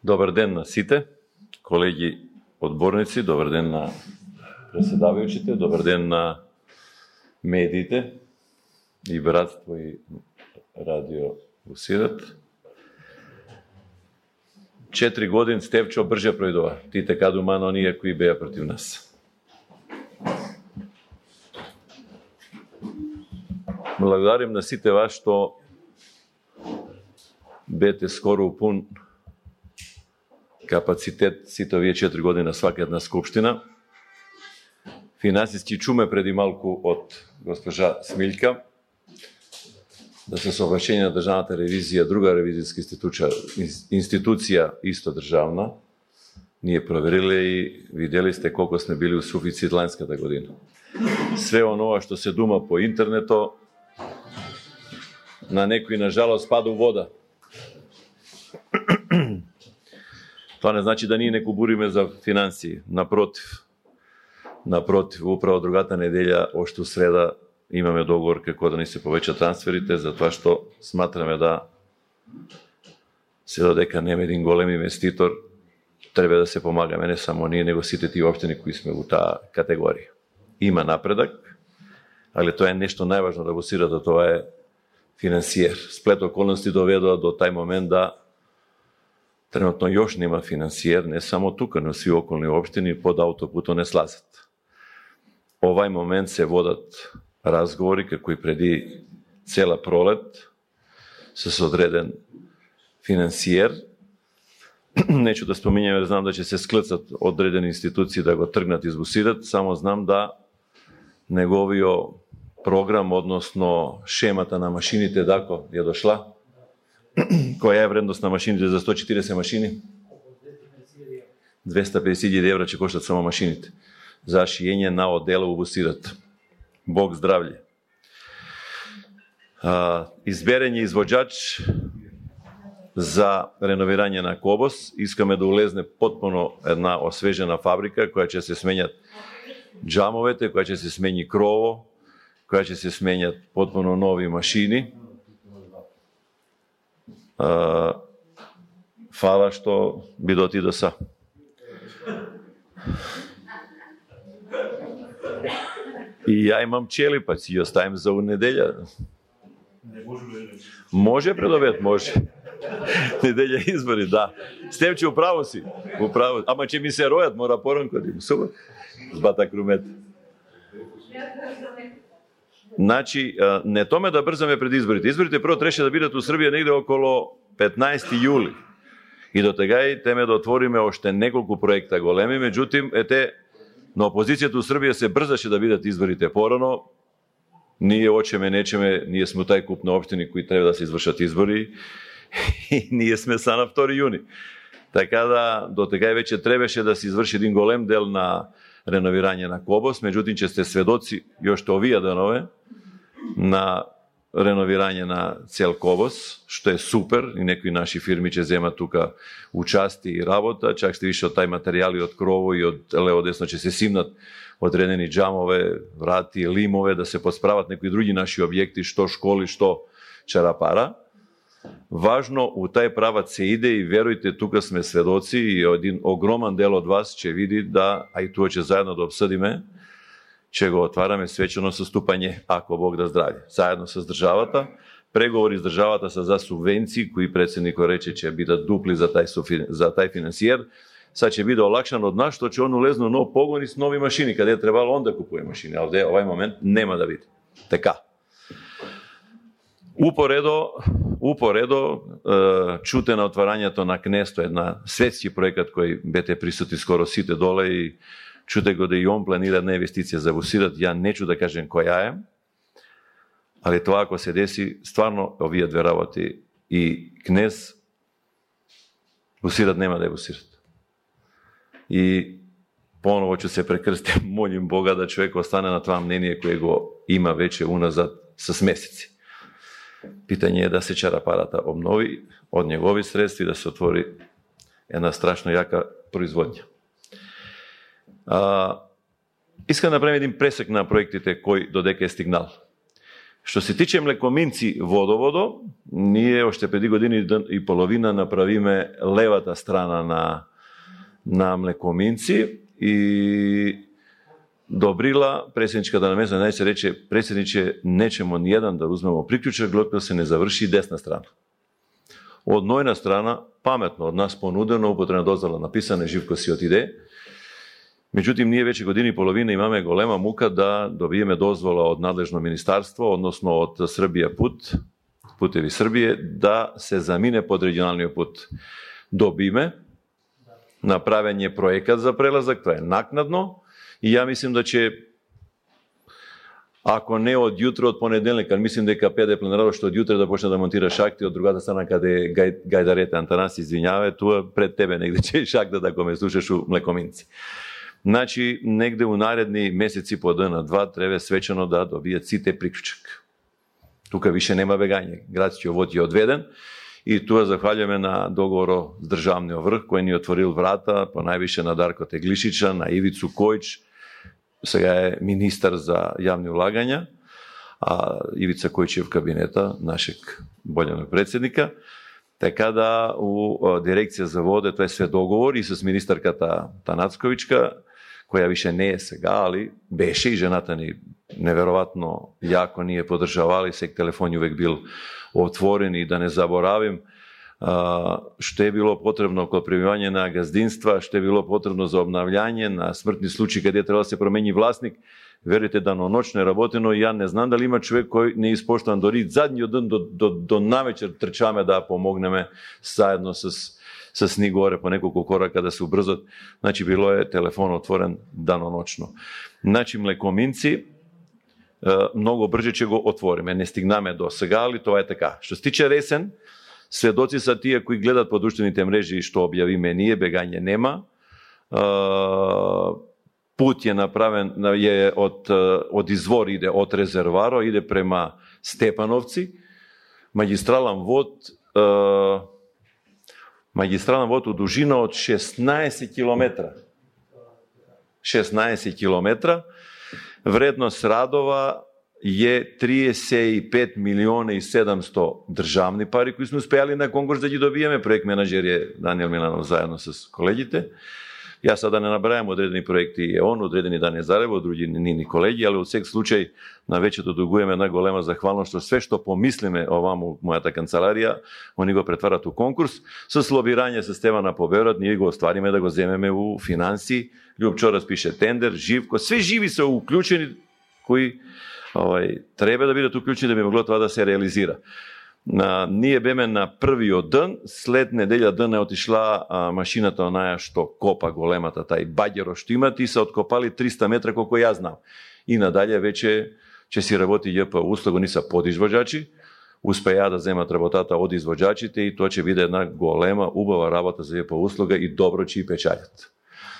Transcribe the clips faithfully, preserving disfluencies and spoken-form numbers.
Добар ден на сите, колеги одборници, добар ден на преседавајучите, добар ден на медиите и Братство и Радио Бусират. Четири години Стевчо брже пројдува. Ти така дума на оние кои беа против нас. Благодарим на сите вас што бете скоро упун капацитет сите овие четири години на свака една скупштина. Финансиски чуме преди малку од госпожа Смилка да се соглашение на државната ревизија, друга ревизијска институција, институција исто државна, ние провериле и видели сте колку сме били у суфицит ланската година. Све онова што се дума по интернето, на некои на жалост пада у вода. Тоа не значи да ние не кубуриме за финансии. Напротив, напротив, управо другата неделја, още среда, имаме договор како да ни се повеќа трансферите, затоа што сматраме да се додека нема един голем инвеститор, треба да се помагаме не само ние, него сите тие општини кои сме во таа категорија. Има напредак, али тоа е нешто најважно да го сирате, тоа е финансиер. Сплет околности доведува до тај момент да тренутно још нема финансиер, не само тука, но сви околни општини под аутопутот не слазат. Овај момент се водат разговори, како и преди цела пролет, с одреден финансиер. Нечу да споминјаме, знам да ќе се склцат одредени институции да го тргнат избусират, само знам да неговиот програм, односно шемата на машините, дако ја дошла. Која е вредност на машините за сто и четиридесет машини? двеста и педесет илјади евра ќе коштат само машините. За шиење на одела во Бусират. Бог здравлje. А, изберен е извоđач за реновирање на Кобос. Искаме да улезне потpuno една освежена фабрика, која ќе се сменјат џамовете, која ќе се смени крово, која ќе се сменјат потpuno нови машини. Uh, фала што би доти до са. И ја имам чели, па си ја оставим за неделја. Може пред обед, може. Неделја избори, да. Стевче, управо си. Управо. Ама ќе ми се ројат, мора поранко да им суба. Збата крумет. Значи, не томе да брзаме пред изборите. Изборите прво требаше да бидат у Србија негде около петнаесети јули. И до тегај теме да отвориме още неколку проекта големи, меѓутим, ете, на опозицијата у Србија се брзаше да бидат изборите порано. Ние очеме, нечеме, ние сме тај куп на општини кои треба да се извршат избори и ние сме са на втори јуни. Така да, до тегај веќе требаше да се изврши един голем дел на реновирање на Кобос, меѓутим, че сте сведоци јошто овие денове на реновирање на цел Кобос, што е супер, и некои наши фирми ќе земат тука участи и работа, чак сте више од тај материјали од крово и од лево десно ќе се симнат одредени џамове, врати, лимове, да се посправат некои други наши објекти, што школи, што чарапара. Важно, у тај прават се иде и верујте, тука сме сведоци и един огроман дел од вас ќе види да, а и тоа ќе заедно да обсудиме, ќе го отвараме свечено соступање, ако Бог да здрави. Заедно с државата, преговори с државата са за субвенции, кои председникот рече ќе бидат дупли за тај, суфи, за тај финансиер, са ќе биде олакшан од нас, што ќе он улезно нов погон и с нови машини, каде е требало он да купува машини, а овде овај момент нема да биде. Така. Упоредо, упоредо чуте на отварањето на Кнесто, една светски проекат кој бете присутни скоро сите доле и чуте го да и он планира една инвестиција за Бусират, ја нечу да кажем која е, али тоа ако се деси, стварно овие две работи и Кнес, Бусират нема да е Бусират. И поново ќе се прекрстим, молим Бога да човек остане на тоа мнение кое го има веќе уназад с месеци. Питање е да се чарапарата обнови од негови средства и да се отвори една страшно јака производња. А, искам да направим един пресек на проектите кој додека е стигнал. Што се тиче Млекоминци водоводо, ние още преди години и половина направиме левата страна на, на Млекоминци и Добрила, председничката на место, најсе рече, председниче, нечемо ниједан да узмемо приклучок, докато се не заврши десна страна. Од нојна страна, паметно од нас понудено, употребна дозвола написана, Живко си отиде. Меѓутим, ние веќе години и половина имаме голема мука да добиеме дозвола од надлежно министарство, односно од Србија пут, Путеви Србија, да се замине под регионалниот пут. Добиме, направен е проекат за прелазак, тоа е накнадно, и ја мислим да ќе, ако не од јутро, од понеделник, мислим дека Педе планирало што од јутро да почне да монтира шахти од другата страна каде гај, Гајдарете, Антанаси, извинјавај, тоа пред тебе негде че шахта да го ме слушаш у Млекоминци. Значи, негде у наредни месеци по дена два треба свечено да добијат сите приклучок. Тука више нема бегање. Градскиот вод е одведен и тоа захвалјаме на договорот с државниот врх кој ни отворил врата, по највише на Дарко Теглишича, на Ивицу Којч, сега е министар за јавни улагања, а Ивица Којч е в кабинета нашeg болјаnog председника. Така да у дирекција за воде тоа е све договор и с министарката Танацковичка, која више не е сега, али беше и жената ни неверојатно јако ние поддржавали, сек телефон увек бил отворен и да не заборавим што е било потребно код премивање на газдинства, што е било потребно за обнављање на смртни случаи каде треба да се промени власник. Верите, даноночно е работено и ја не знам дали има човек кој не испоштуван дори задниот ден до, до, до навечер трчаме да помогнеме заедно с с ни горе по неколку корака да се убрзат. Значи било е телефон отворен даноночно. Значи Млекоминци многу брже ќе го отвориме. Не стигнаме до сега, али тоа е така. Што се тиче Ресен, сведоци са тие кои гледат по друштвените мрежи што објавиме ние, бегање нема. Пут е направен, е од, од извор иде од резерваро, иде према Степановци, магистрален вод, магистрален вод у дужина од шеснаесет километра. шеснаесет километра. Вредност радова е триесет и пет милиони и седумсто државни пари кои сме успеали на конкурс да ги добиеме. Проект менаџер е Даниел Миланов заедно с колегите. Јас сада не набрајам одредени проекти е он, одредени да не зарево, други нини колеги, али од сек случај на вечето дугуеме една голема захвалност што све што помислиме оваму мојата канцеларија, они го претварат у конкурс. Со лобирање со Стевана Поберот ние го оствариме да го земеме у финанси. Љупчо распише тендер, Живко, све живи се уклучени кои овај треба да бидат уклучени да би могло тоа да се реализира. На, ние беме на првиот ден, след неделја ден е отишла а, машината онаја што копа големата, тај баѓеро што имат и се откопали триста метра колку јас знам. И надалje веќе ќе си работи ЈП услуга, ни са подизвоđачи, успеа да земат работата од извоđачите и тоа ќе биде една голема, убава работа за ЈП услуга и добро ќе и печалят.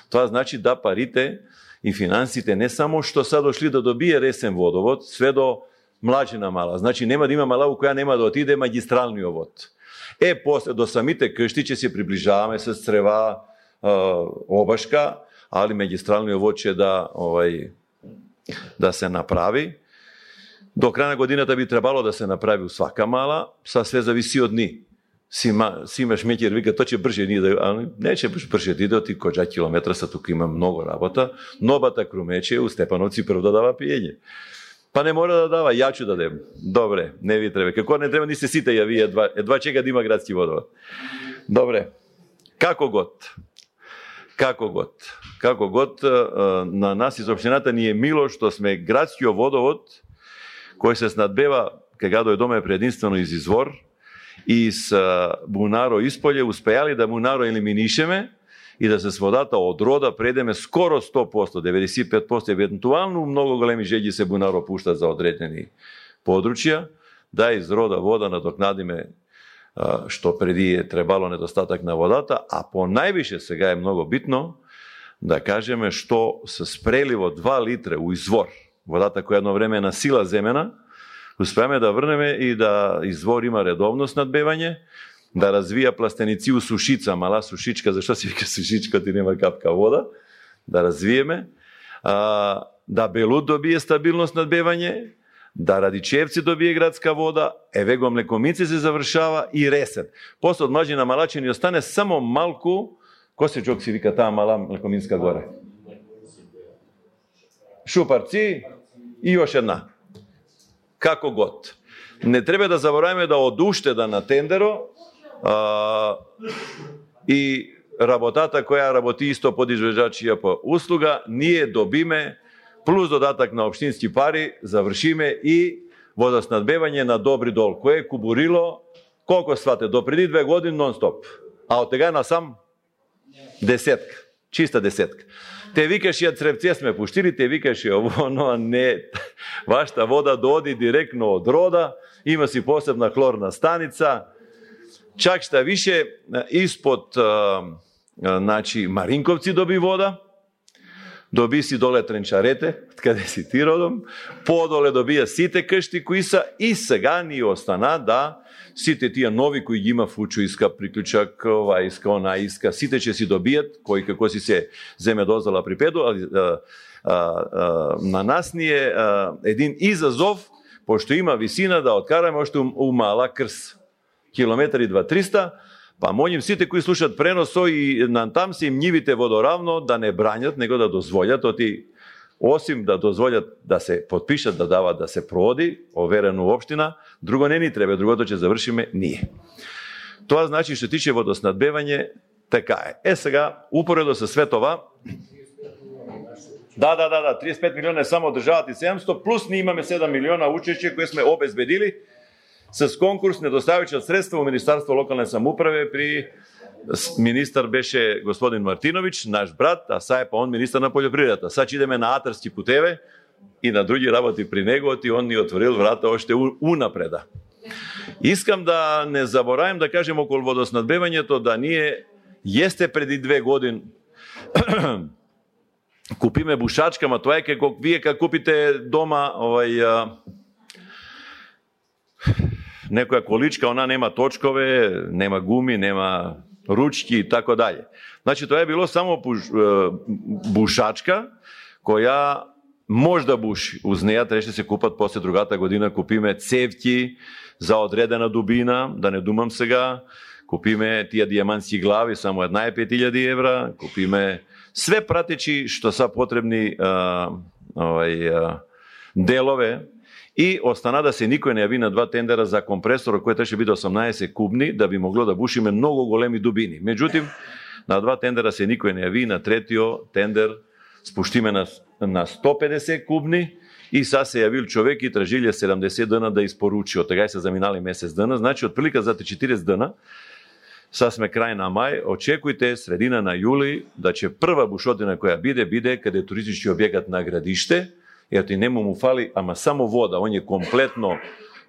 Тоа значи да парите и финансите не само што са дошли да добие Ресен водовод, све до Млачина мала. Значи нема да има мала у која нема да отиде магистралниот вод. Е, после до самите кшти ќе се приближаваме с Црева, е, Обашка, али магистралниот вод ќе да овај да се направи. До крај на годината би требало да се направи у свака мала, са све зависи од ни. Сима, сима Шмекер вика, тоа ќе брже ни да, али не ќе брже иде, оти која километра са тука има многу работа. Новата Крумече у Степановци прв да дава пиење. Па не мора да дава, ја ќе дадем. Добре, не ви треба. Како не треба ни се сите ја вие едва, едва чека да има градски водовод. Добре. Како год? Како год? Како год на нас из општината ни е мило што сме градскиот водовод кој се снадбева кога дојдоме прединствено из извор и с Бунаро исполје успеали да Бунаро елиминишеме и да се с водата од рода предеме скоро сто проценти, деветдесет и пет проценти, евентуално многу големи жеѓи се Бунаро пуштат за одредени подручја, да из рода вода надокнадиме што преди е требало недостаток на водата, а по највише сега е многу битно да кажеме што се спреливо два литра у извор, водата која едно време е на сила земена, успеаме да врнеме и да извор има редовно снадбевање, да развија пластеници у сушица, мала сушичка, зашто се вика сушичка, ти нема капка вода, да развиеме, а, да Белут добие стабилност надбевање, да Радичевци добие градска вода, Евего Млекомици се завршава и Ресен. После од Младина Малачи ни остане само малку, кој се чок си вика таа мала Млекоминска горе? Шупарци и још една. Како год. Не треба да забораваме да од уштеда на тендеро а, и работата која работи исто подизвежачија по услуга, ние добиме плюс додатак на општински пари, завршиме и водоснабдевање на Добри дол, кое е кубурило, колко свате, до преди две години нон-стоп. А од тега насам десетка, чиста десетка. Те викаш ја цревце сме пуштили, те викаш ја ово, но не, вашата вода доди директно од рода, има си посебна хлорна станица, чак шта више, испод а, а, значи, Маринковци доби вода, доби си доле Тренчарете, каде си ти родом, подоле добија сите кшти кои са и сега ни остана да сите тие нови кои ги има Фучу иска, приклучак, ова иска, она иска, сите ќе си добијат, кои како си се земе дозвола при педу, али а, а, а, на нас ни е а, един изазов, пошто има висина да откараме още у, у мала крс, километри два-триста, па молим сите кои слушат преносо и натам се им нивите водоравно да не брањат, него да дозволят, оти осим да дозволят да се подпишат, да дават да се проводи, оверено општина, друго не ни треба, другото ќе завршиме ние. Тоа значи што тиче водоснабдевање, така е. Е сега, упоредо со све това, да, да, да, да, триесет и пет милиона е само државата и седумстотини, плюс ние имаме седум милиона учење кои сме обезбедили с конкурс недоставичат средства во Министарство локалне самоуправе при министар беше господин Мартинович, наш брат, а са е па он министар на полјопривредата. Сад идеме на атарски путеве и на други работи при него, и он ни отворил врата още унапреда. Искам да не заборавам да кажем околу водоснабдевањето да ние јесте преди две години купиме бушачка, ма тоа е како вие како купите дома овај некоја количка, она нема точкове, нема гуми, нема ручки и така даје. Значи тоа е било само бушачка која може да буши. Уз неја требаше да се купат после другата година, купиме цевки за одредена дубина, да не думам сега, купиме тие дијамантски глави, само една е пет илјади евра, купиме све пратечи што са потребни а, овај, а, делове. И остана да се никој не јави на два тендера за компресор, кој требаше биде осумнаесет кубни, да би могло да бушиме многу големи дубини. Меѓутим, на два тендера се никој не јави, на третиот тендер спуштиме на, на сто педесет кубни и са се јавил човек и тражиле седумдесет дена да испоручи. Од тега се заминали месец дена, значи од прилика за четириесет дена, са сме крај на мај, очекујте средина на јули да ќе прва бушотина која биде, биде каде туристички објекат на градиште, ето и нему му фали, ама само вода, он е комплетно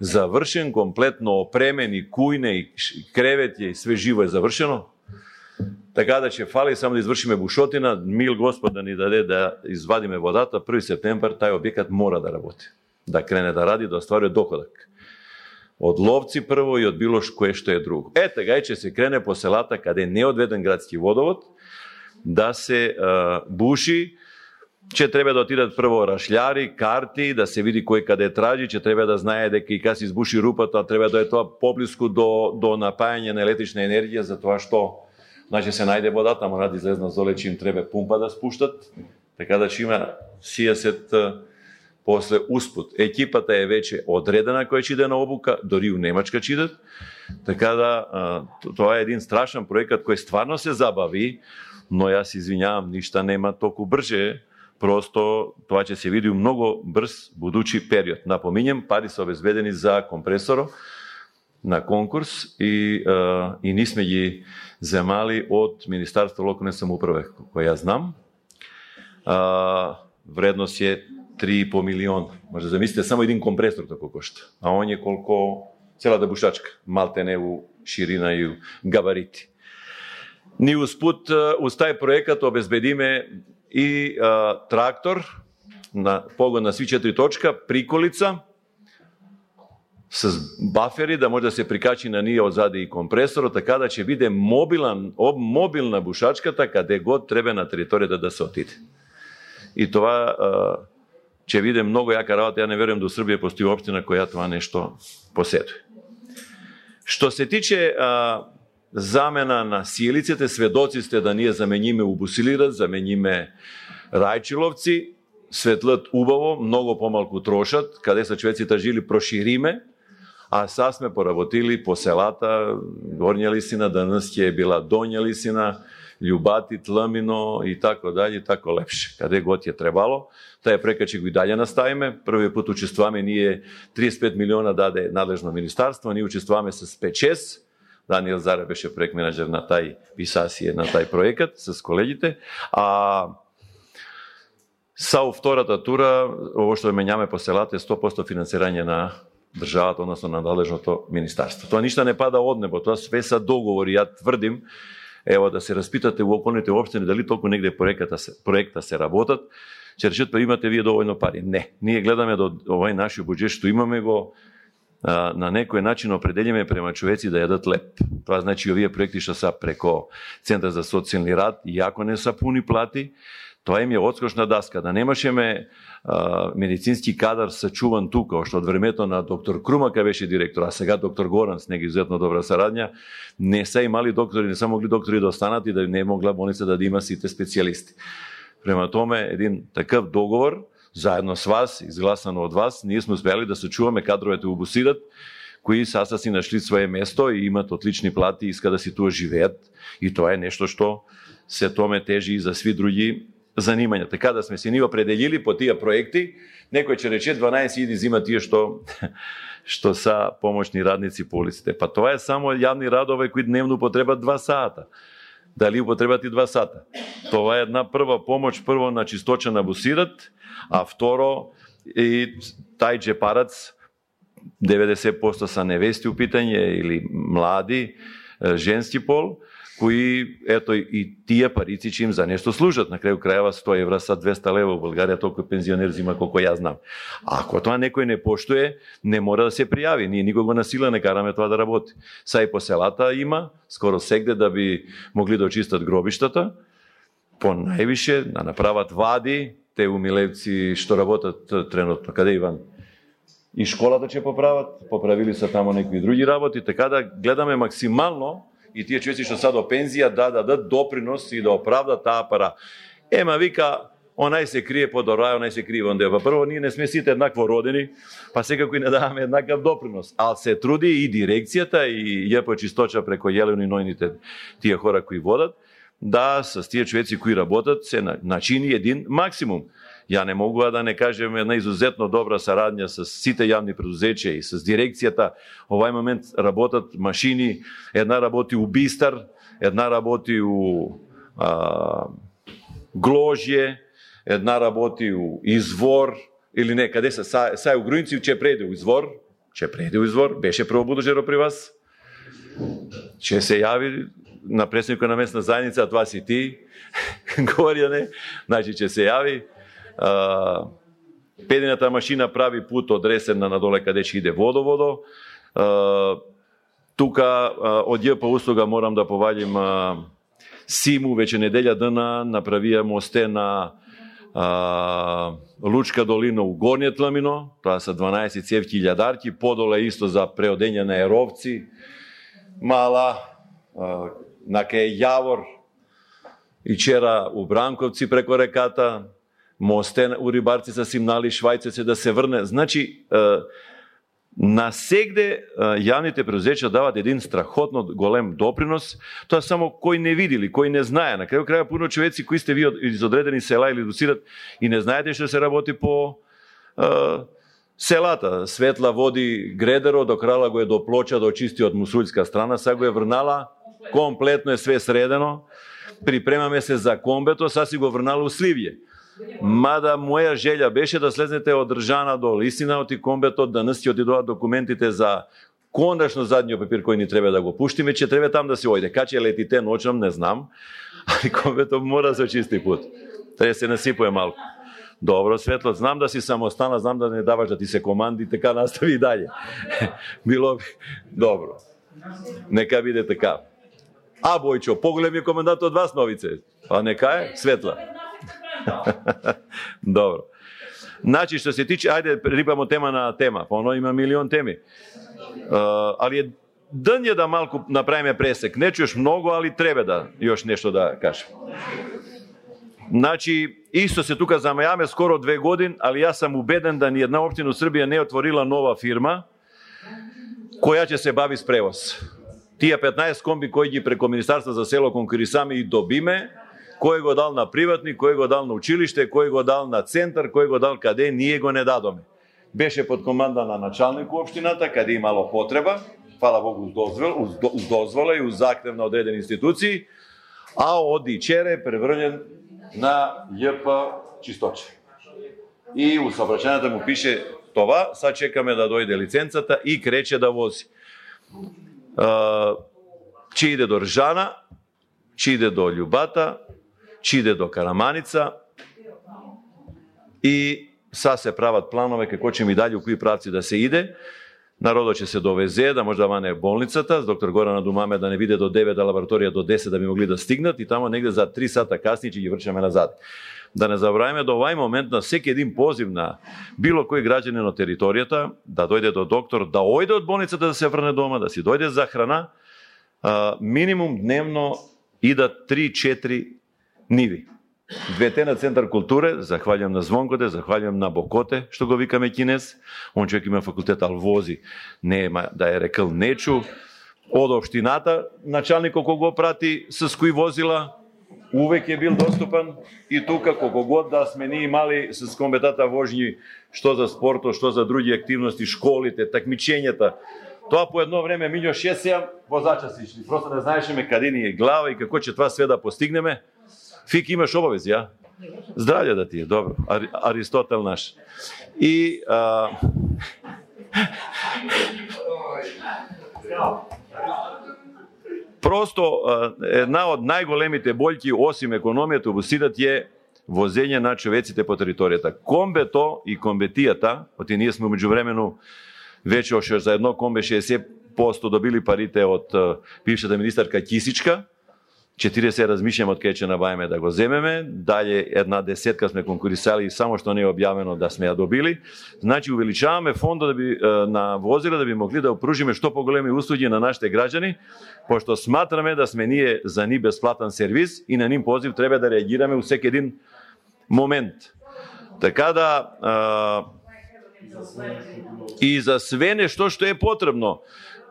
завршен, комплетно опремен и кујне и кревет и све живо е завршено. Така да ќе фали само да извршиме бушотина, мил Господ да ни даде да извадиме водата, први септември тај објекат мора да работи, да крене да ради, да остварува доходак. Од ловци прво и од било кое што е друго. Е, тега ќе се крене по селата каде не е одведен градски водовод, да се а, буши. Че треба да отидат прво рашљари, карти, да се види кој каде тражи, че треба да знае дека и кога се избуши рупата, треба да е тоа поблиску до, до напајање на електрична енергија, за тоа што значи се најде водата, мора да излезна золе, че им треба пумпа да спуштат, така да ќе има шеесет после успут. Екипата е веќе одредена која ќе иде на обука, дори у Немачка ќе идат, така да тоа е един страшен проект кој стварно се забави, но јас извинјавам, ништа нема толку брже. Просто тоа ќе се види у многу брз будучи период. Напоминjem, пари се обезбедени за компресоро на конкурс и, а, и ние сме ги земали од Министарство локалне самоуправе, кој ја знам. А, вредност е три и по милиона. Може да замислите само един компресор тако кошта. А он е колко целата бушачка. Малтене у ширина и у габарити. Ни успут, уз тај проекат обезбедиме и а, трактор на погон на сви четири точка, приколица с бафери да може да се прикачи на ние одзади и компресор, така да ќе биде мобилан, об, мобилна бушачката каде год треба на територијата да се отиде. И тоа а, ќе биде многу јака работа. Ја не верувам да у Србија постои општина која тоа нешто поседува. Што се тиче а, замена на силиците, сведоци сте да ние замениме Убусилират, замениме Рајчиловци, светлат убаво, многу помалку трошат, каде са човеците жили прошириме, а са сме поработили по селата, Горња Лисина, данас ќе е била Доња Лисина, Љубати, Тлмино и тако даје, и тако лепше. Каде год ја требало, таа прека ќе го и далje наставиме. Првиот пат учествуваме ние триесет и пет милиона даде надлежно министарство, ние учествуваме с пет шест. Даниел Заре беше проект менаџер на тај писасие, на тај проекат с колегите. А са втората тура, ово што менјаме по селата е сто проценти финансирање на државата, односно на надлежното министарство. Тоа ништо не пада од небо, тоа све са договори. Ја тврдим, ево да се распитате во околните општини дали толку негде проекта се, проекта се работат, ќе речат па имате вие доволно пари. Не, ние гледаме до овој нашиот буџет што имаме го а, на некој начин определиме према човеци да јадат леп. Тоа значи овие проекти што са преко Центар за социјални рад, иако не са пуни плати, тоа им е одскочна даска, да немашеме а, медицински кадар сачуван тука, што од времето на доктор Крумака беше директор, а сега доктор Горан с неги изуzetно добра сарадња, не се имали доктори, не са могли доктори да останат и да не могла болница да има сите специјалисти. Према томе, един такъв договор, заедно с вас, изгласано од вас, ние сме успели да сачуваме кадровете у Бусират, кои саса си нашли свое место и имат отлични плати, иска да си туа живеат, и тоа е нешто што се томе тежи и за сви други занимања. Така да сме се ни определили по тие проекти, некој ќе рече дванаесет илјади зима тие што што са помошни радници по улиците. Па тоа е само јавни радове кои дневно потребат два сата. Дали употребат и два сата? Това е една прва помош, прво на чисточа на Бусират, а второ и тај джепарац, деветдесет проценти са невести у питање или млади, женски пол, кои, ето, и тие парици че им за нешто служат. На крају крајава сто евра са двеста лева, во Българија толку пензионер зима колко ја знам. А ако тоа некој не поштуе, не мора да се пријави. Ние никого на сила не караме тоа да работи. Са и по селата има, скоро сегде да би могли да очистат гробиштата, по највише да направат вади, те умилевци што работат тренутно. Каде Иван? И школата ќе поправат, поправили са тамо некои други работи, така да гледаме максимално и тие човеци што са до пензија да дадат допринос и да оправдат таа пара. Ема вика, онај се крие под рај, онај се крие онде. Па прво ние не сме сите еднакво родени, па секако и не даваме еднаков допринос. Ал се труди и дирекцијата и ЈП Чисточа преко Јелено и нојните тие хора кои водат, да с тие човеци кои работат се начини един максимум. Ја не могува да не кажем една изузетно добра сарадња с сите јавни предузеќа и с дирекцијата. Овај момент работат машини, една работи у Бистар, една работи у а, Гложје, една работи у Извор, или не, каде са, са, са у Груинци, ќе преде у Извор, ќе преде у Извор, беше прво будожеро при вас, ќе се јави на председникот на местна заедница, а тоа си ти, Горјане, значи ќе се јави. Uh, педината машина прави пут од Ресена надоле каде ќе иде водоводо. Uh, тука uh, од ЈП услуга морам да поваѓам uh, Симу, веќе неделја дена направија мосте на uh, Лучка долина у Горње Тлмино, тоа са дванаесет цевки илјадарки, подоле исто за преодење на еровци, мала, uh, на кај Јавор и чера у Бранковци преко реката, мосте у Рибарци са симнали Швајцеци да се врне. Значи, на сегде јавните предузеќа дават един страхотно голем допринос, тоа само кој не видели, кој не знае. На крају краја пуно човеци кои сте ви из одредени села или Бусират и не знаете што се работи по е, селата. Светла води Гредеро, до крала го е до Плоча, до чисти од мусулјска страна, сега го е врнала, комплетно е све средено, припремаме се за комбето, са си го врнала у Сливје. Мада моја желја беше да слезнете од Држана до Лисина, од и комбето, да нас ќе одидоат документите за кондашно задниот папир кој ни треба да го пуштиме, че треба там да се ојде. Кај ќе летите ночам, не знам, али комбето мора да се очисти пут. Треба се насипува малку. Добро, Светло, знам да си самостана, знам да не даваш да ти се команди, така настави и далje. Било би добро. Нека биде така. А, Бојчо, поголем е комендант од вас, Новице. А нека е, Светла. Добро. Значи, што се тиче, ајде, рибамо тема на тема, па оно има милион теми. Uh, али е ден е да малку направиме пресек. Не чуеш многу, али треба да још нешто да кажем. Значи, исто се тука замајаме скоро две години, али јас сум убеден да ни една општина у Србија не отворила нова фирма која ќе се бави с превоз. Тие петнаесет комби кои ги преко Министарство за село конкурисаме и добиме, кој го дал на приватни, кој го дал на училиште, кој го дал на центар, кој го дал каде, ние го не дадоме. Беше под команда на началник општината, каде имало потреба, фала Богу, уз дозвола и уз заhtев на одредени институции, а оди чере преврнен на ЈП Чисточе. И у сообраќајната му пише това, сад чекаме да дојде лиценцата и крече да вози. Че иде до Ржана, че иде до Љубата, че иде до Караманица и са се прават планове како ќе ми дали у кои правци да се иде. Народот ќе се довезе, да може да ване болницата, с доктор Горана Думаме да не биде до девет, а лабораторија до десет да би могли да стигнат и тамо негде за три сата касни ќе ги врчаме назад. Да не забравиме до овај момент на секи един позив на било кој граѓанин на територијата да дојде до доктор, да ојде од болницата да се врне дома, да си дојде за храна, а, минимум дневно идат три-четири ниви. Двете на Центар културе, захвалјам на Звонкоте, захвалјам на Бокоте, што го викаме кинес. Он човек има факултет, ал вози, не да е рекал нечу. Од општината, началникот кога го прати с кои возила, увек е бил доступан и тука колку год да сме ние имали с комбетата вожњи, што за спорто, што за други активности, школите, такмичењата. Тоа по едно време мињо шест-седум возача си ишли. Просто не знаешме каде ни е глава и како ќе тоа све да постигнеме. Фик, имаш обавези, ја? Здравје да ти е, добро. Ари, Аристотел наш. И а... просто една од најголемите бољки осим економијата во Сидат е возење на човеците по територијата. Комбето и комбетијата, оти ние сме меѓувремено веќе оше за едно комбе шеесет проценти добили парите од бившата министарка Кисичка, четириесет размишljamo од кај ќе набавиме да го земеме, дале една десетка сме конкурисали и само што не е објавено да сме ја добили. Значи увеличаваме фондот да би на возила да би могли да опружиме што поголеми услуги на нашите граѓани, пошто сматраме да сме ние за ни бесплатен сервис и на ним позив треба да реагираме у секој еден момент. Така да а, и за све нешто што е потребно.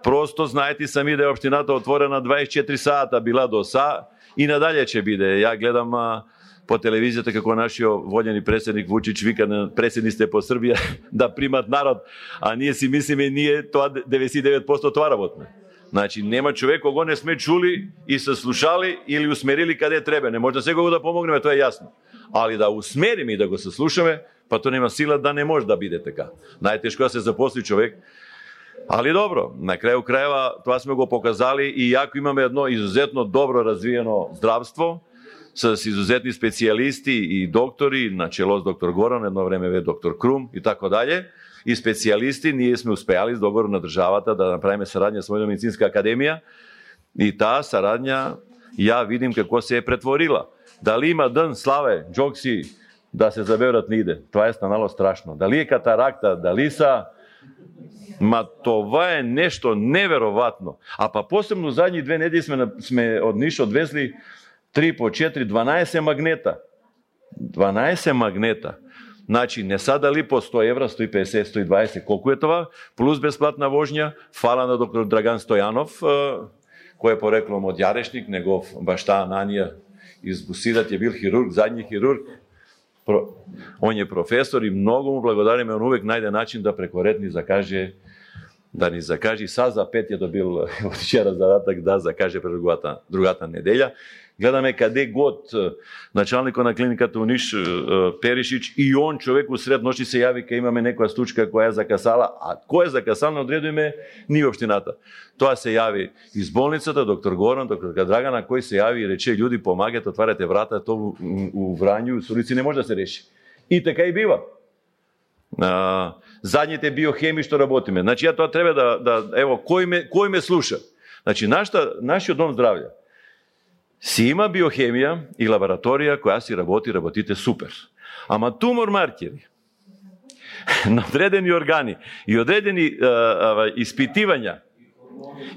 Просто знаете сами да е општината отворена дваесет и четири сата била до са и надалje ќе биде. Ја гледам а, по телевизијата како нашиот вољени претседник Вучич вика на претседниците по Србија да примат народ, а ние си мислиме ние тоа деветдесет и девет проценти тоа работиме. Значи нема човек кого не сме чули и се слушали или усмерили каде треба. Не може да секого да помогнеме, тоа е јасно. Али да усмериме и да го се слушаме, па тоа нема сила да не може да биде така. Најтешко да се запосли човек. Али добро, на крају крајeva тоа сме го показали и јако имаме едно изузетно добро развиено здравство с изузетни специјалисти и доктори, на чело с доктор Горан, едно време ве доктор Крум и така далje, и специјалисти, ние сме успеали с договор на државата да направиме сарадња со Војно-медицинска академија и таа сарадња ја видим како се е претворила. Дали има ден славе, џокси да се заберат не иде. Тоа е станало страшно. Дали е катаракта, дали са Ма това е нешто невероватно. А па посебно задни две недели сме, сме од Ниш одвезли три по четири, дванаесет магнета. дванаесет магнета. Значи, не са дали по сто евра, сто и песет, сто и дваесет, колку е това, плюс бесплатна вожња, фала на доктор Драган Стојанов, кој е пореклом од Јарешник, негов башта Ананија из Бусидат е бил хирург, задни хирург. Он е професор и многу му благодариме, он увек најде начин да преко ред ни закаже, да ни закаже, са за пет е добил од вчера задатак да закаже пред другата, другата неделја. Гледаме каде год началникот на клиниката у Ниш Перишич и он човек усред ноши се јави кај имаме некоја случка која е закасала, а кој е закасал одредуваме ние општината. Тоа се јави из болницата доктор Горан, доктор Драгана, кој се јави и рече људи помагате, отварате врата, тоа у Врању, Сурици не може да се реши. И така и бива. А, задните биохеми што работиме. Значи ја тоа треба да, да ево кој ме кој ме слуша. Значи нашата нашиот дом здравје си има биохемија и лабораторија која си работи, работите супер. Ама тумор маркери, на одредени органи и одредени а, а, испитивања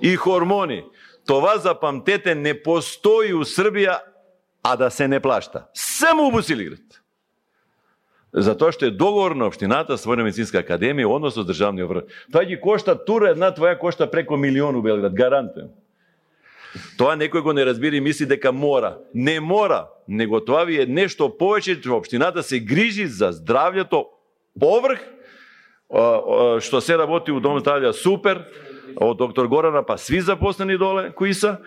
и хормони, това запамтете не постои у Србија, а да се не плашта. Само у Босилеград. Затоа што е договор на општината со Војна медицинска академија, односно с државниот врв. Тоа ги кошта, тура една твоја кошта преко милион у Белград, гарантуjem. Тоа некој го не разбира и мисли дека мора. Не мора, него тоа ви е нешто повеќе, што општината се грижи за здравјето поврх, што се работи у Дом здравје супер, од доктор Горана па сви запослени доле, кои са,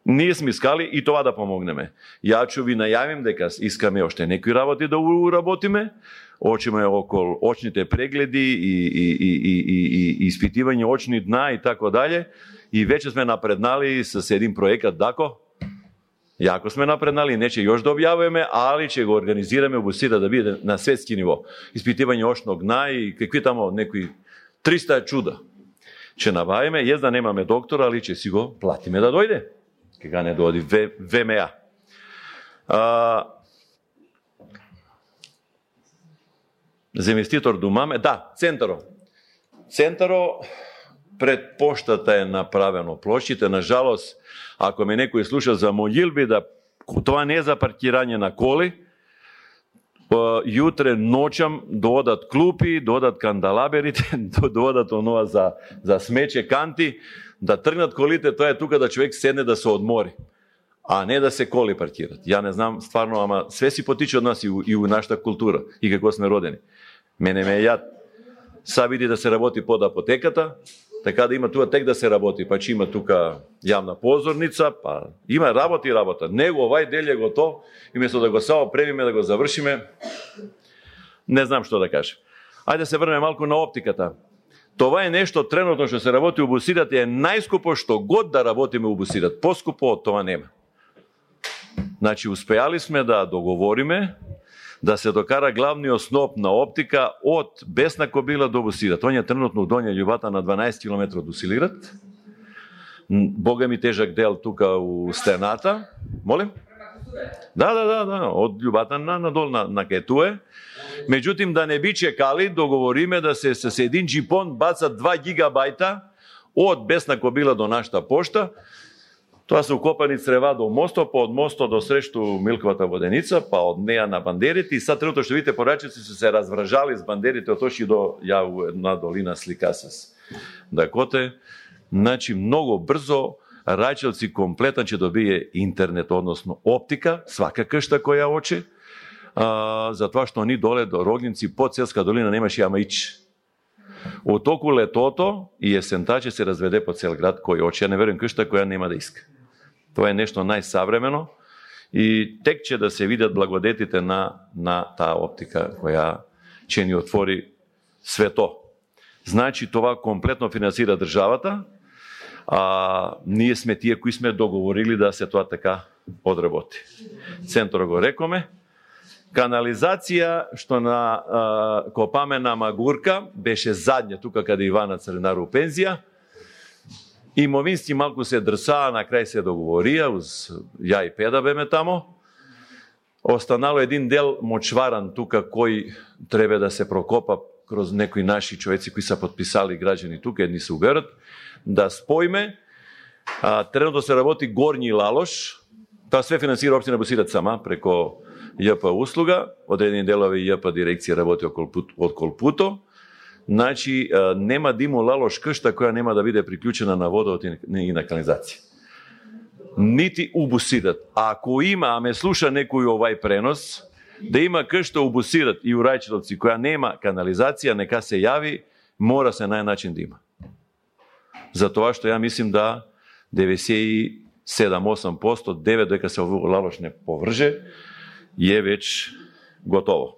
ние сме искали и това да помогнеме. Ја ќе ви најавим дека искаме оште некои работи да уработиме, очиме околу очните прегледи и, и, и, и, и, и испитивање очни дна и така дале. И веќе сме напреднали с един проекат, дако? Јако сме напреднали, не ќе још да објавуваме, али ќе го организираме обусира да биде на светски ниво. Испитивање очног дна и какви тамо некои триста чуда. Ќе набавиме, јес да немаме доктор, али ќе си го платиме да дојде. Кога не дојди Ве Ем А. А, за инвеститор думаме, да, центаро. Центаро пред поштата е направено площите. На жалост, ако ме некој слуша за молилби, да тоа не е за паркирање на коли, јутре ноќам доодат клупи, доодат кандалаберите, доодат онова за, за смече канти, да тргнат колите, тоа е тука да човек седне да се одмори, а не да се коли паркират. Ја не знам стварно, ама све си потиче од нас и у, и у нашата култура и како сме родени. Мене ме е јад. Са види да се работи под апотеката, така да има тука тек да се работи, па че има тука јавна позорница, па има работа и работа. Него овај дел е готов и место да го само премиме, да го завршиме, не знам што да кажем. Ајде да се врнеме малку на оптиката. Това е нешто тренутно што се работи у Босират и е најскупо што год да работиме у Босират. Поскупо од тоа нема. Значи, успеали сме да договориме да се докара главниот сноп на оптика од Бесна Кобила до Босират. Он е тренутно у Донја Љубата на дванаесет километри од Босилеград. Бога ми тежак дел тука у стената. Молим? Да, да, да, да, од Љубата на надол на, на Кетуе. Меѓутим, да не би чекали, договориме да се с един джипон бацат два гигабајта од Бесна Кобила до нашата пошта. Тоа се укопани црева до мостот, па од мостот до срешту Милковата воденица, па од неа на бандерите. И сад трето што видите порачици се се развражали с бандерите, отошли до ја една долина слика с Дакоте. Значи, многу брзо Рајчевци комплетно ќе добие интернет, односно оптика, свака кшта која оче, а, затоа што ни доле до Рогнинци, под Селска долина немаше ама ич. Од току летото и есента ќе се разведе по цел град кој оче. Ја не верувам кшта која нема да иска. Тоа е нешто најсавремено и тек ќе да се видат благодетите на, на таа оптика која ќе ни отвори свето. Значи, това комплетно финансира државата, а ние сме тие кои сме договорили да се тоа така одработи. Центро го рекоме. Канализација, што на а, копаме на Магурка, беше задње, тука каде Ивана Цренар у пензија. Имовински малку се дрсаа, на крај се договорија, уз ја и Педа беме тамо. Останало един дел мочваран тука, кој треба да се прокопа кроз некои наши човеци кои са подписали граѓани тука, едни се уверат, да споиме. А, тренутно се работи Горњи Лалош, тоа све финансира општина Босират сама, преко Ја П услуга, одредени делови Ја П дирекција работи од Колпуто. Значи, нема да има Лалош кшта која нема да биде приклучена на водот и на канализација. Нити у Босират. А ако има, а ме слуша некој овај пренос, да има кшта у Босират и у Рајчевци која нема канализација, нека се јави, мора се најначин да има. Затоа што ја мислим да деветдесет и седам до осам проценти, девет дека се овој Лалош не поврже, е веќе готово.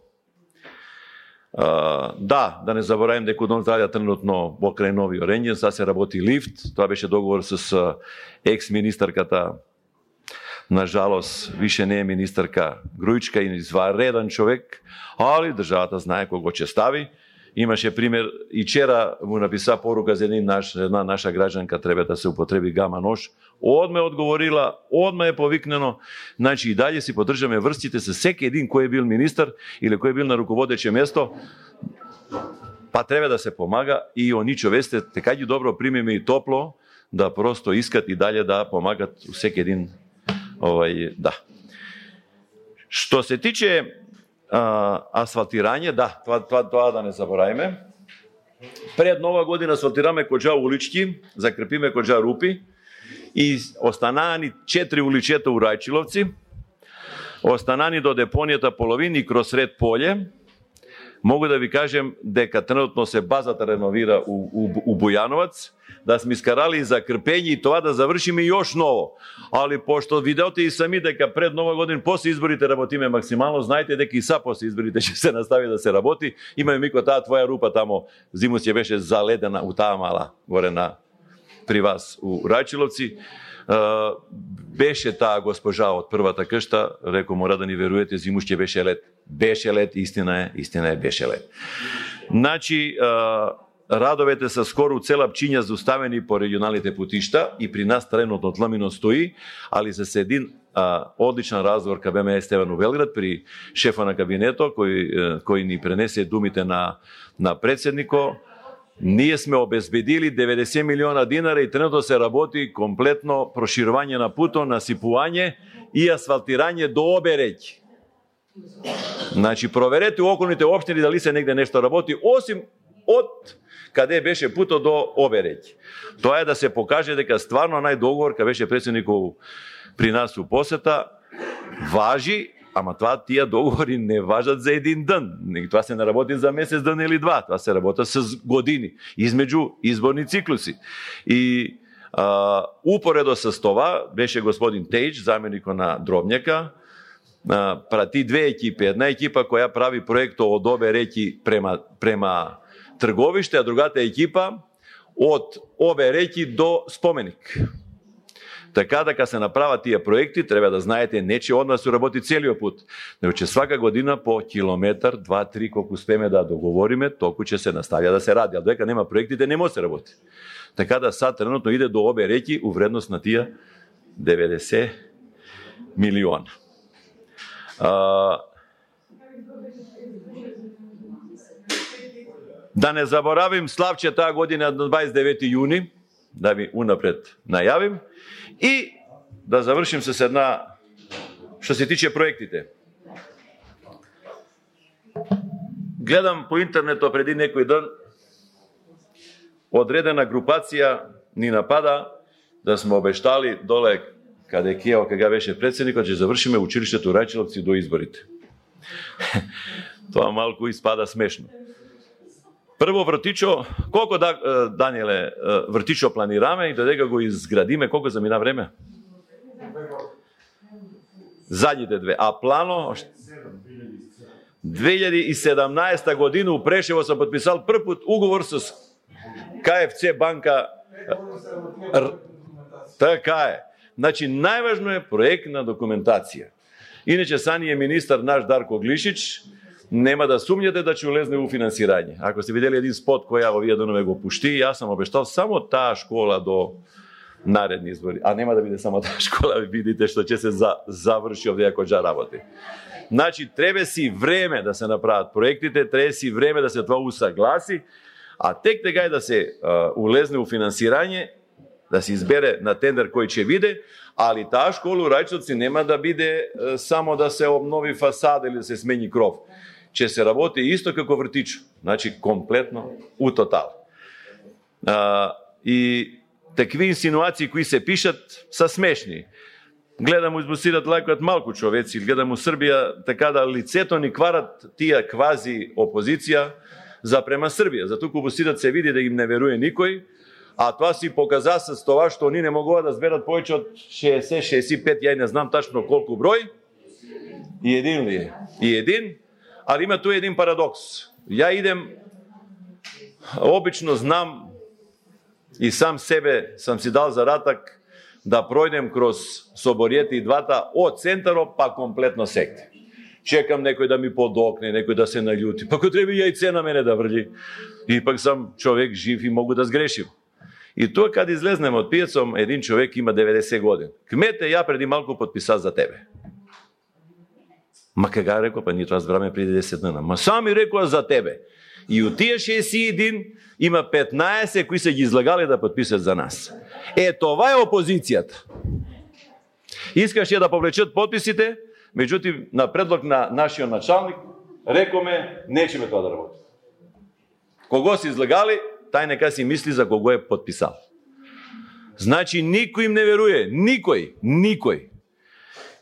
Uh, да, да не заборавим дека Дом здравје тренутно покрај нови Оренџен, сега се работи лифт, тоа беше договор с uh, екс-министарката, на жалост, више не е министарка Грујчка и извареден човек, али државата знае кого ќе стави. Имаше пример, и вчера му написа порука за един наш, една наша граѓанка, треба да се употреби гама нож. Одме одговорила, одме е повикнено. Значи и далje си подржаме врстите со секи един кој е бил министар или кој е бил на руководече место. па треба да се помага и они човесте така ги добро примеме и топло, да просто искат и далje да помагат всеки един овај, да. Што се тиче а, асфалтирање, да, тоа, тоа, тоа да не забораваме. Пред нова година асфалтираме коџа улички, закрепиме коџа рупи и останани четири уличета у Рајчиловци, останани до депонијата половини и кроз сред поле. Могу да ви кажем дека тренутно се базата реновира у, у, у Бујановац, да сме искарали за крпење и тоа да завршиме још ново. Али пошто видеоте и сами дека пред нова година после изборите работиме максимално, знаете дека и са после изборите ќе се настави да се работи. Имаме мико таа твоја рупа тамо, зимус ќе беше заледена у таа мала горе на при вас у Рајчиловци. Uh, беше таа госпожа од првата кшта, реко мора да ни веруете, зимуш ќе беше лед. Беше лед, истина е, истина е, беше лед. Значи, uh, радовете са скоро цела пчиња зауставени по регионалните путишта и при нас теренот од Ламино стои, али се един uh, одличен разговор ка БМС Стеван у Белград при шефа на кабинето, кој, uh, кој ни пренесе думите на, на председнико. Ние сме обезбедили деветдесет милиона динара и тренутно се работи комплетно проширување на путот, насипување и асфалтирање до обе реки. Значи, проверете у околните општини дали се негде нешто работи, осим од каде беше путот до обе реки. Тоа е да се покаже дека стварно нај договор, кај беше председников при нас у посета, важи. Ама тоа тие договори не важат за един ден. Тоа се не работи за месец, ден или два. Тоа се работа с години, измеѓу изборни циклуси. И а, упоредо с това беше господин Тејч, заменикот на Дробњака, а, прати две екипи. Една екипа која прави проекто од обе реки према, према трговиште, а другата екипа од обе реки до споменик. Така дека се направат тие проекти, треба да знаете, не че од нас се работи целиот пут, но че свака година по километар, два, три, колку успеме да договориме, толку ќе се наставја да се ради. А дека нема проектите, не може се работи. Така да сад тренутно иде до обе реки у вредност на тие деветдесет милиона. А... Да не заборавим Славче таа година на дваесет и девети јуни, да ви унапред најавим. И да завршим се с една, што се тиче проектите. Гледам по интернетот преди некој ден, одредена групација ни напада да сме обештали доле каде Кео, кога беше председникот, че завршиме училиштето Рајчиловци до изборите. Тоа малку испада смешно. Прво вртичо, колко да, Даниеле, вртичо планираме и додека го изградиме, колко замина време? Задните две. А плано? две илјади и седамнаесета година у Прешево съм подписал прв пут уговор с КФЦ банка. Така е. Значи, најважно е проектна документација. Иначе сани е министар наш Дарко Глишич, нема да сумњате да ќе улезне у финансирање. Ако сте видели един спот кој ја овие денови го пушти, јас сам обештал само таа школа до наредни избори. А нема да биде само таа школа, видите што ќе се за, заврши овде ако джа работи. Значи, треба си време да се направат проектите, треба си време да се тоа усагласи, а тек тегај да се а, улезне у финансирање, да се избере на тендер кој ќе биде, али таа школа у Рајчиловци нема да биде а, само да се обнови фасада или да се смени кров. Ќе се работи исто како вртичо, значи комплетно у тотал. А, и такви инсинуации кои се пишат са смешни. Гледам у избусират лајкот малку човеци, гледам у Србија така да лицето ни кварат тие квази опозиција за према Србија. За туку бусират се види да им не веруе никој, а тоа си показа с тоа што они не могува да зберат повеќе од шеесет шеесет и пет, ја не знам тачно колку број. И един ли е? И един. Ali ima tu jedan paradoks. Ja idem, obično znam i sam sebe sam si dal zadatak da projdem kroz Соборијете и двата од центаро па комплетно секте. Чекам некој да ми подокне, некој да се наљути. Па кој треба јајце на мене да врли. И пак сам човек жив и могу да сгрешим. И тоа каде излезнем од пијацом, един човек има деветдесет години. Кмете, ја преди малку подписа за тебе. Ма кога рекол, па ние тоа збраме преди десет дена. Ма сами рекоа за тебе. И од тие шеесет и еден има петнаесет кои се ги излагале да подпишат за нас. Е, това е опозицијата. Искаше да повлечат подписите, меѓутоа на предлог на нашиот началник рекоме нечеме тоа да работи. Кого се излагали, тај нека си мисли за кого е подписал. Значи никој им не веруе, никој, никој.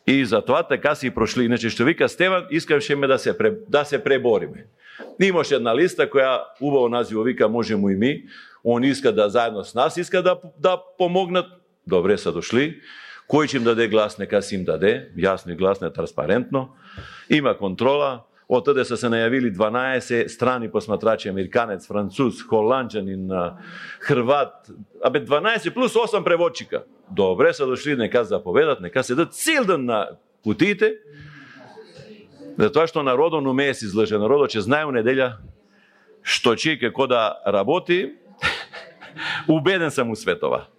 И затоа така си прошли. Иначе што вика Стеван, искаше ме да се да се пребориме. Имаше една листа која убаво називо вика можемо и ми. Он иска да заедно с нас иска да да помогнат. Добре са дошли. Кој ќе им даде глас, нека си им даде, јасно и гласно, транспарентно. Има контрола. Од таде са се најавили дванаесет страни посматрачи, американец, француз, холанџанин, хрват, абе дванаесет плюс осам преводчика. Добре са дошли, нека заповедат, нека седат цел ден на кутиите. Затоа што народот не умее се излаже, народот ќе знае у неделја што ќе и како да работи. Убеден сам у светова.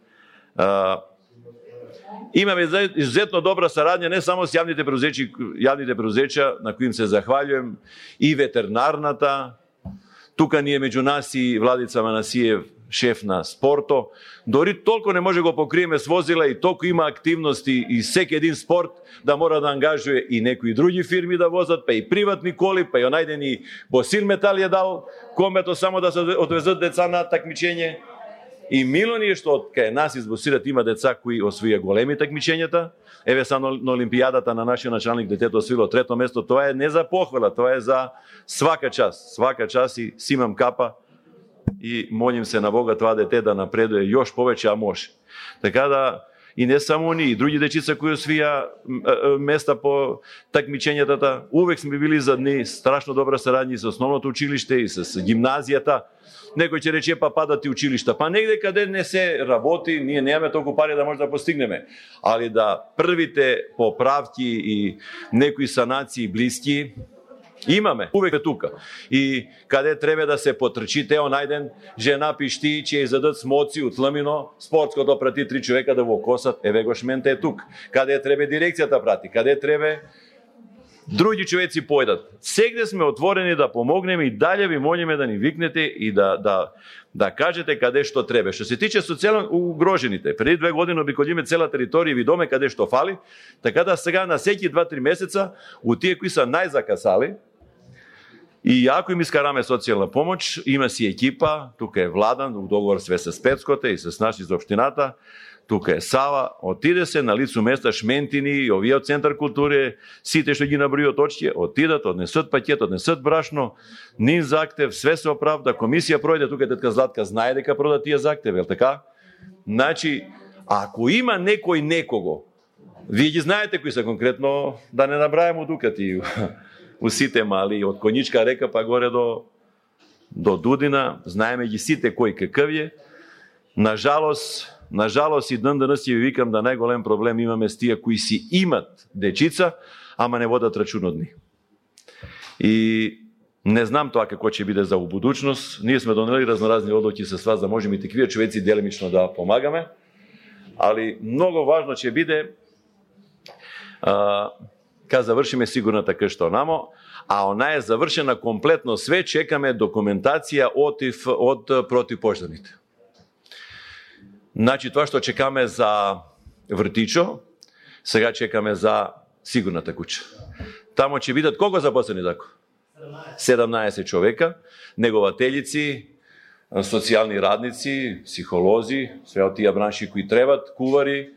Имаме изуzetно добра сарадња не само с јавните преузеќа, јавните преузеќа на кои им се захвалјуjem, и ветеринарната. Тука ние меѓу нас и Владица Манасиев, шеф на спорто. Дори толку не може го покриеме с возила и толку има активности и секи един спорт да мора да ангажуе и некои други фирми да возат, па и приватни коли, па и онајден и Босил Метал е дал комето само да се одвезат деца на такмичење. И мило ни е што од кај нас избосират има деца кои освоија големи такмичењата. Еве са на Олимпијадата на нашиот началник детето освоило трето место. Тоа е не за похвала, тоа е за свака час. Свака час и симам капа и молим се на Бога тоа дете да напредуе још повеќе, а може. Така да и не само они, и други дечица кои освија места по такмичењата, увек сме били за дни страшно добра сарадња со основното училиште и со гимназијата. Некој ќе рече па падат и училишта. Па негде каде не се работи, ние немаме толку пари да може да постигнеме. Али да првите поправки и некои санации блиски имаме. Увек е тука. И каде треба да се потрчи, тео најден жена пишти, ќе изадат смоци од Ламино, спортското прати три човека да го косат, еве го шменте е тук. Каде треба дирекцијата прати, каде треба други човеци појдат. Сегде сме отворени да помогнеме и далje ви молиме да ни викнете и да да да кажете каде што треба. Што се тиче социјално угрожените, преди две години обиколиме цела територија и видоме каде што фали, така да сега на секи два-три месеца у тие кои са најзакасали и ако им искараме социјална помош, има си екипа, тука е Владан, у договор све со Спецкоте и со наши за општината. Тука е Сава, отиде се на лицу места Шментини и овие од Центар култури, сите што ги набројат очки, отидат, однесат пакет, однесат брашно, нин зактев, све се оправда, комисија пројде, тука тетка Златка знае дека прода тие зактеви, ел така? Значи, ако има некој некого, вие ги знаете кои се конкретно, да не набрајаме дукати у сите мали, од Коничка река па горе до до Дудина, знаеме ги сите кој какъв е. Нажалост, Нажалост и ден денес си ви викам да најголем проблем имаме с тие кои си имат дечица, ама не водат рачун од нив. И не знам тоа како ќе биде за будучност. Ние сме донели разноразни одлуки со вас да можеме и таквија човеци делимично да помагаме, али многу важно ќе биде а, кога завршиме сигурната кшта намо, а она е завршена комплетно све, чекаме документација од од противпожарните. Значи, тоа што чекаме за вртичо, сега чекаме за сигурната куќа. Тамо ќе бидат колку запослени тако? седамнаесет човека, негователици, социјални радници, психолози, све од тие бранши кои требат, кувари,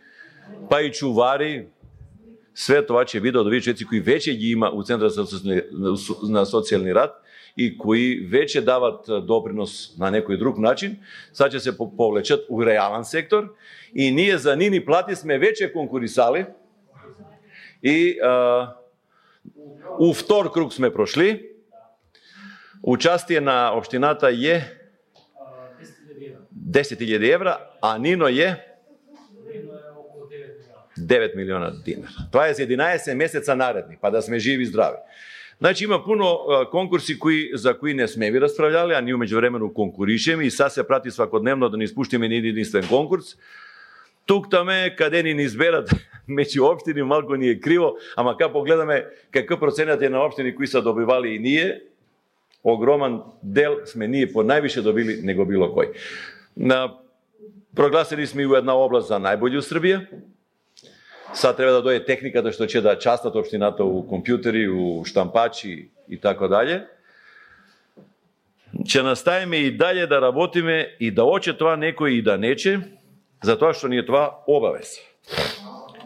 па и чувари. Све тоа ќе биде од овие човеци кои веќе ги има у Центарот на социјални рад и кои веќе дават допринос на некој друг начин, сега ќе се повлечат у реален сектор и ние за нини плати сме веќе конкурисали и а, у втор круг сме прошли. Участие на општината е десет илјади евра, а Нино е девет милиона динара. Тоа е за единаесет месеца наредни, па да сме живи и здрави. Значи има пуно конкурси кои за кои не сме ви расправljали, а ние меѓувремено конкуришеме и са се прати свакодневно да не испуштиме ни единствен конкурс. Тук таме каде ни изберат меѓу општини малку ни е криво, ама кога погледаме какъв проценат е на општини кои са добивали и ние, огроман дел сме ние по највише добили него било кој. На прогласили сме и у една област за најбољи у Србија. Сад треба да дојде техниката што ќе да частат општината у компјутери, у штампачи и така дале. Ќе наставиме и дале да работиме и да оче тоа некој и да нече, затоа што ни е тоа обавез.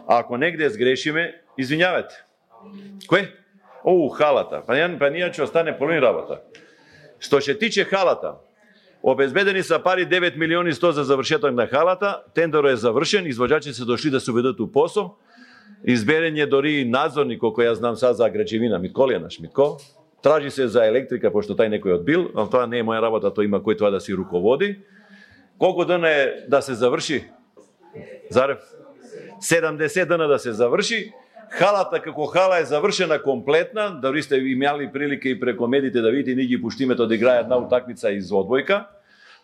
Ако негде сгрешиме, извинјавате. Кој? Оу, халата. Па ние, па ние ќе остане половин работа. Што се тиче халата, обезбедени са пари девет милиони сто за завршеток на халата, тендерот е завршен, извоđачи се дошли да се уведат у посо, изберен е дори надзорник, колко ја знам сега за граđевина, Митко ли е наш Митко, тражи се за електрика, пошто тај некој одбил, но тоа не е моја работа, тоа има кој тоа да си руководи. Колку дена е да се заврши? Зарев? седумдесет дена да се заврши. Халата како хала е завршена комплетна, дори сте имали прилика и преко медите да видите, ние ги пуштиме тоа да играат една утакмица из одбојка.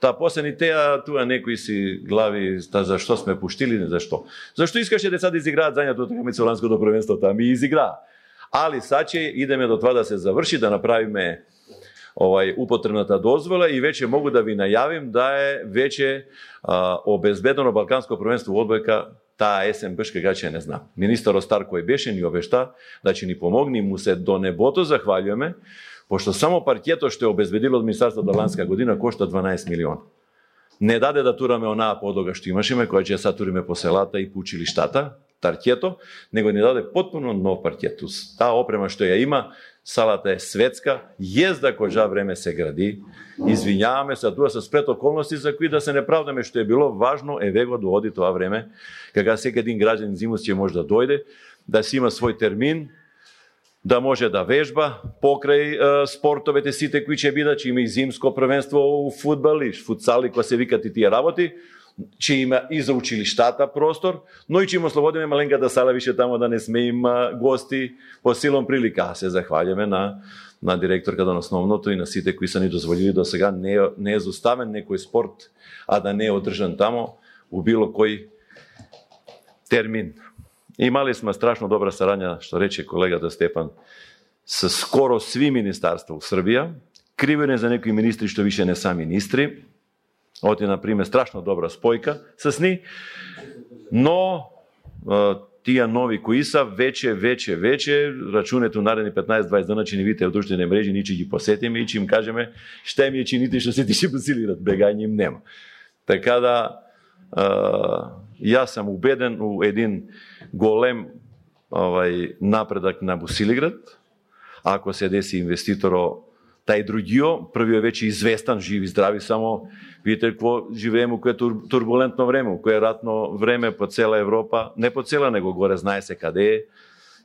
Та после ни теа туа некои си глави та зашто сме пуштили, не зашто. Зашто искаше деца да изиграат зањато утакмица ланското првенство, таа ми изиграа. Али саче идеме до тоа да се заврши, да направиме овај употребната дозвола и веќе могу да ви најавим да е веќе а, обезбедено балканско првенство во одбојка таа есен беш кога ќе не знам. Министар Остар кој беше ни обешта да ќе ни помогне и му се до небото захвалјуваме, пошто само паркето што е обезбедило од Министерството ланска година кошта дванаесет милиона. Не даде да тураме онаа подлога што имашеме, која ќе са туриме по селата и по училиштата, таркето, него ни даде потпуно нов паркет. Таа опрема што ја има, салата е светска, језда кожа време се гради. Извинјаваме се, тоа се спрет околности за кои да се не правдаме што е било важно, еве го дооди тоа време, кога секој един граѓанин зимус ќе може да дојде, да си има свој термин, да може да вежба покрај е, спортовете сите кои ќе бидат, ќе има и зимско првенство у фудбал и футсал и кои се викат и тие работи, ќе има и за училиштата простор, но и ќе им ослободиме маленката сала више тамо да не сме им гости по силом прилика. Се захвалјаме на на директорката на основното и на сите кои са ни дозволили до сега не е, не е зоставен некој спорт, а да не е одржан тамо у било кој термин. Имали сме страшно добра сарања, што рече колегата Степан, со скоро сви министарства у Србија, кривене за некои министри што више не са министри. Оти, например, страшно добра спојка с ни, но тие нови кои са, веќе, веќе, веќе, рачунето наредни петнаесет дваесет дена ќе ни видите од друштвени мрежи, ние ќе ги посетиме и ќе им кажеме што ми е чините што се тише посилират, бегање им нема. Така да, јас сам убеден у един голем овај напредак на Босилиград, ако се деси инвеститоро тај другио, првиот веќе известан, живи, здрави, само видите какво живееме, кое е турбулентно време, кое е ратно време по цела Европа, не по цела, него горе знае се каде е.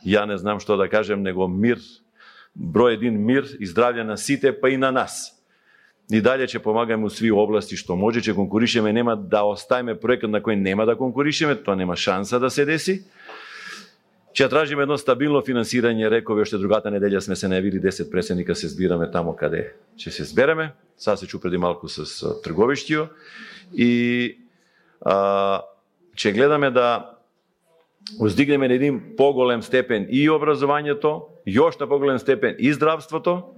Ја не знам што да кажем, него мир, број един мир и здравје на сите, па и на нас. И далje ќе помагаме у сви области што може, ќе конкуришеме, нема да оставиме проектот на кој нема да конкуришеме, тоа нема шанса да се деси. Ќе тражиме едно стабилно финансирање, рекови уште другата неделја сме се најавили десет председника се збираме тамо каде ќе се збереме. Сега се чу преди малку с трговиштио и а, ќе гледаме да уздигнеме на един поголем степен и образованието, још на поголем степен и здравството.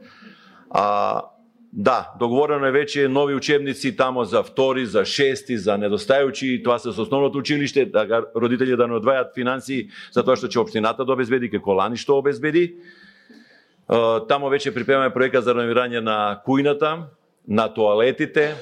А да, договорено е веќе нови учебници тамо за втори, за шести, за недостајучи, тоа се со основното училиште, да родители да не одвајат финансии за тоа што ќе општината да обезбеди, како лани што обезбеди. Тамо веќе припремаме проекат за реновирање на кујната, на тоалетите,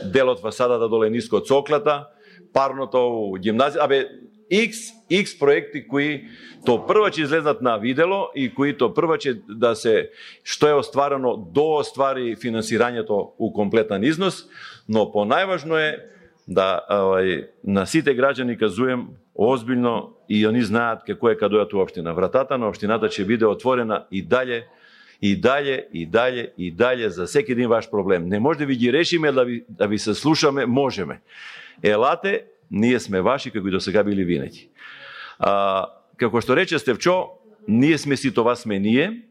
делот фасадата доле ниско од соклата, парното гимназија, абе X, X проекти кои то прво ќе излезнат на видело и кои то прво ќе да се, што е остварено, до оствари финансирањето у комплетен износ, но понајважно е да авај, на сите граѓани казуем озбилно и они знаат како е кога дојдат у општина. Вратата на општината ќе биде отворена и дале, и дале, и дале, и дале за секој един ваш проблем. Не може да ви ги решиме, да ви, да ви се слушаме, можеме. Елате, ние сме ваши, како и до сега били винаги. А, како што рече Стевчо, ние сме си, това сме ние.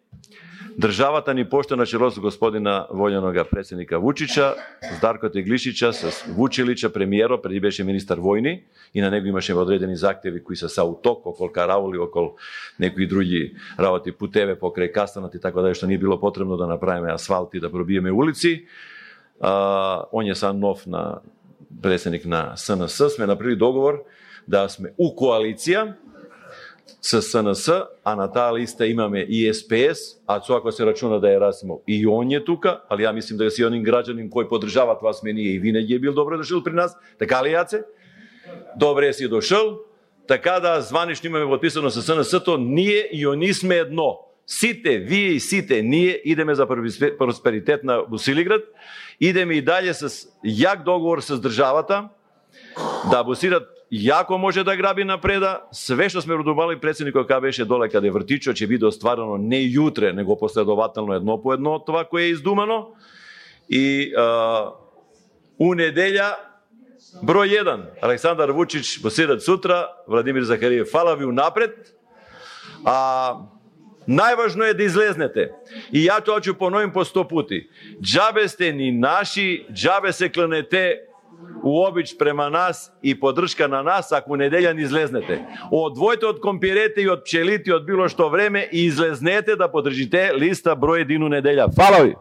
Државата ни пошта на чело со господина војнога претседника Вучича, с Дарко Теглишича, с Вучилича, премиеро, преди беше министар војни, и на него имаше одредени захтеви кои се са у ток, окол караули, окол некои други работи, путеве покрај Кастанот и така да, што не било потребно да направиме асфалт и да пробиеме улици. А, он е са нов на претседник на С Н С, сме направили договор да сме у коалиција с С Н С, а на таа листа имаме и С П С, а со ако се рачуна да е Расимов и он е тука, али ја мислим да си онин граѓанин кој поддржава тоа сме ние и винаги е бил добро дошол при нас, така ли Јаце? Добре си дошол, така да званично имаме подписано со С Н С-то, ние и они сме едно. Сите, вие и сите, ние идеме за просперитет на Босилиград, идеме и далje с јак договор с државата, да Босилиград јако може да граби напреда, све што сме родували претседникот кога беше доле каде вртичот ќе биде остварено не јутре, него последователно едно по едно од това кое е издумано. И а, у неделја број еден, Александар Вучич, Босилиград сутра, Владимир Захариев, фала ви унапред. А најважно е да излезнете. И ја тоа ќе поновим по сто пути. Џабе сте ни наши, џабе се кланете у обич према нас и поддршка на нас, ако неделја не излезнете. Одвојте од компирете и од пчелите, од било што време и излезнете да поддржите листа број еден у неделја. Фала ви!